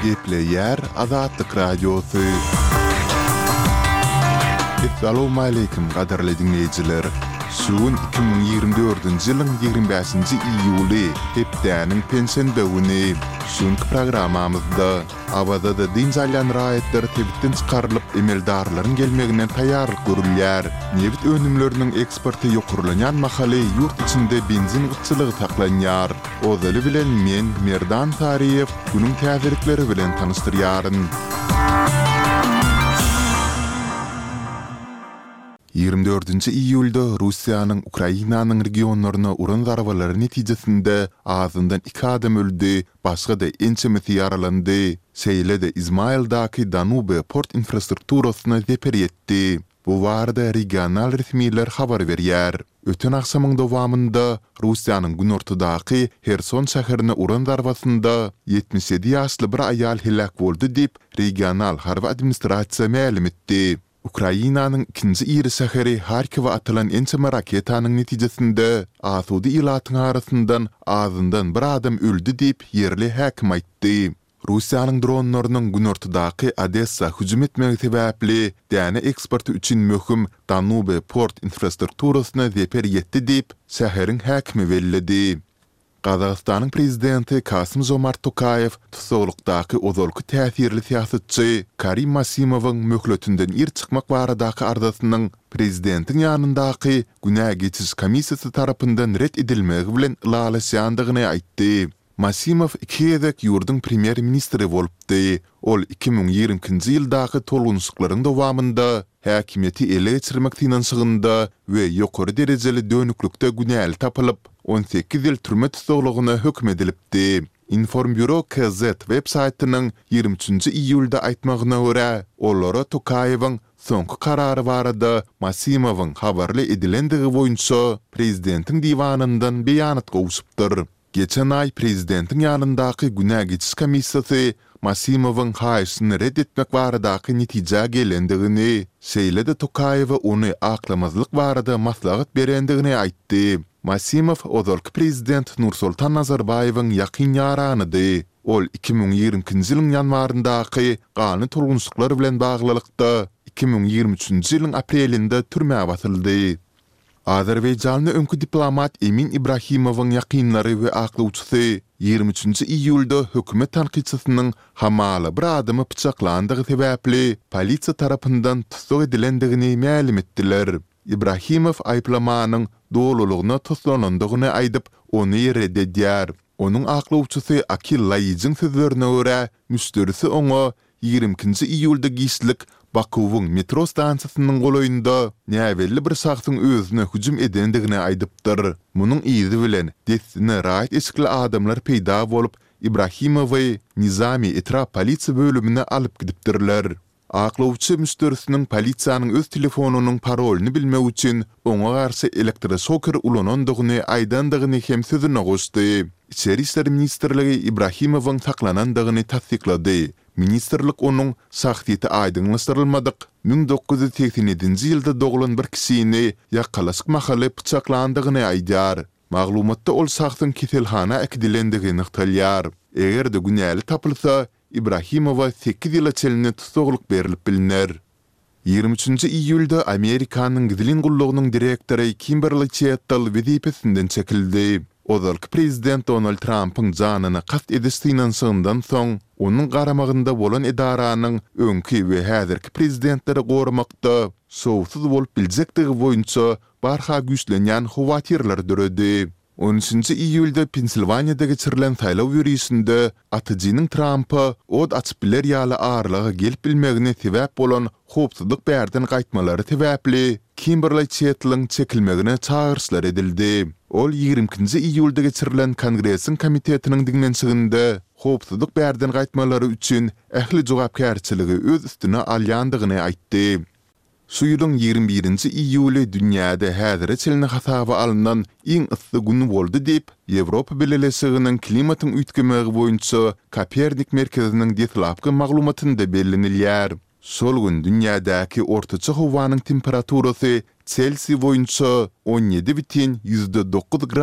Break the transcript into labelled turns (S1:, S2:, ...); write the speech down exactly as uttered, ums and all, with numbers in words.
S1: Gepleýär Azatlyk Radiosy. Essalawmaleýkim gadyrly diňleýjiler! Şu gün iki müň ýigrimi dördünji ýylyň ýigrimi bäşinji iýuly, hepdäniň penşenbe güni. Şu günki programmamyzda Awazada dynç alýan raýatlar sebitden çykarylyp, emeldarlaryň gelmegine taýýarlyk görülýär. Nebit önümleriniň eksporty ýokarlanýan mahaly ýurt içinde benzin gytçylygy saklanýar. Ozaly bilen men, Merdan Saryýew, günüň täzelikleri bilen tanyşdyrýaryn. Ýigrimi dördünji iýulda Russiýanyň Ukrainanyň regionlaryna uran zarbalary netijesinde azyndan iki adam öldi, başga-da ençemesi ýaralandy. Şeýle-de Izmaildaky Danube port infrastrukturasyna zeper ýetdi. Bu barada regional resmiler habar berýär. Öten agşamyň dowamynda Russiýanyň günortadaky Herson şäherine uran zarbasynda ýetmiş ýedi ýaşly bir aýal heläk boldy diýip, regional harby administrasiýa mälim etdi. Ukrainanyň ikinji iri şäheri Harkowa atylan ençeme raketanyň netijesinde asuda ilatyň arasyndan azyndan bir adam öldi diýip, ýerli häkim aýtdy. Russiýanyň dronlarynyň günortadaky Odessa hüjüm etmegi sebäpli däne eksporty üçin möhüm Danube port infrastrukturasyna zeper ýetdi diýip, şäheriň häkimi belledi. Gazagystanyň prezidenti Kasym-Žomart Tokaýew tussaglykdaky ozalky täsirli syýasatçy Karim Masimowyň möhletinden ir çykmak baradaky arzasynyň prezidentiň ýanyndaky günä geçiş komissiýasy tarapyndan ret edilmegi bilen ylalaşýandygyny aýtdy. Masimow iki gezek ýurduň premýer-ministri bolupdy. Ol iki müň ýigrimi ikinji ýyldaky tolgunyşyklaryň dowamynda häkimiýeti ele geçirmek synanyşygynda we ýokary derejeli dönüklikde günäli tapylyp, on sekiz ýyl türme tussaglygyna höküm edilipdi. Informburo KZ web saýtynyň ýigrimi üçünji iýulda aýtmagyna görä, olara Tokaýewiň soňky karary barada Masimowyň habarly edilendigi boýunça prezidentiň diwanyndan beýanat gowşupdyr. Geçen aý prezidentiň ýanyndaky günä geçiş komissiýasy Masimowyň haýyşyny ret etmek baradaky netijä gelendigini, şeýle-de Tokaýewe ony aklamazlyk barada maslahat berendigini aýtdy. Masimow ozalky prezident Nursultan Nazarbaýewiň ýakyn ýaranydy. Ol iki müň ýigrimi ikinji ýylyň ýanwaryndaky ganly tolgunyşyklar bilen baglylykda, iki müň ýigrimi üçünji ýylyň aprelinde türmä basyldy. Azerbaýjanly öňki diplomat Emin Ibrahimowyň ýakynlary we aklawçysy ýigrimi üçünji iýulda hökümet tankytçysynyň hamala bir adamy pyçaklandygy sebäpli polisiýa tarapyndan tussag edilendigini mälim etdiler. Ibrahimow aýyplamanyň dolulygyna toslanandygyny aýdyp, ony ret edýär. Onuň aklawçysy Akil Laýijiň sözlerine görä, müşderisi oňa ýigrimi ikinji iýulda giçlik Bakuwyň metro stansiýasynyň golaýynda näbelli bir şahsyň özüne hüjüm edendigini aýdypdyr. Munuň yzy bilen, dessine raýat eşikli adamlar peýda bolup, Ibrahimowy Nizami etrap polisiýa bölümine alyp gidipdirler. Aklawçy müşderisiniň polisiýanyň öz telefonynyň parolyny bilmek üçin oňa garşy elektroşoker ulanandygyny aýdandygyny hem sözüne goşdy. Içeri işler ministrligi Ibrahimowyň saklanandygyny tassyklady. Ministrlik onuň şahsyýeti aýdyňlaşdyrylmadyk müň dokuz ýüz segsen ýedinji ýylda doglan bir kişini ýakalaşyk mahaly pyçaklandygyny aýdýar. Maglumatda ol şahsyň keselhana äkidilendigi nygtalýar. Eger-de günäli tapylsa, Ibrahimowa sekiz ýyla çenli tussaglyk berlip bilner. Ýigrimi üçünji iýulda Amerikanyň gizlin gullugynyň direktory Kimberli Çettel wezipesinden çekildi. Ozalky prezident Donald Trampyň janyna kast ediş synanyşygyndan soň, onuň garamagynda bolan edaranyň öňki we häzirki prezidentleri goramakda şowsuz bolup biljekdigi boýunça barha güýçlenýän howatyrlar döredi. On üçünji iýulda Pensilwaniýada geçirilen saýlaw ýörişinde atyjynyň Trampa ot açyp biler ýaly aralyga gelip bilmegine sebäp bolan howpsuzlyk bärden gaýtmalary sebäpli Kimberli Çetliň çekilmegine çagyryşlar edildi. Ol ýigrimi ikinji iýulda geçirilen Kongresiň komitetiniň diňlenişiginde howpsuzlyk bärden gaýtmalary üçin ähli jogapkärçiligi öz üstüne alýandygyny aýtdy. Şu ýylyň ýigrimi birinji iýuly dünýäde häzire çenli hasaba alnan iň yssy gün boldy diýip, Ýewropa Bileleşiginiň klimatyň üýtgemegi boýunça Kopernik merkeziniň deslapky maglumatynda bellenilýär. Şol gün dünýädäki ortaça howanyň temperaturasy Selsiý boýunça on ýedi bütin ýüzde dokuz gradus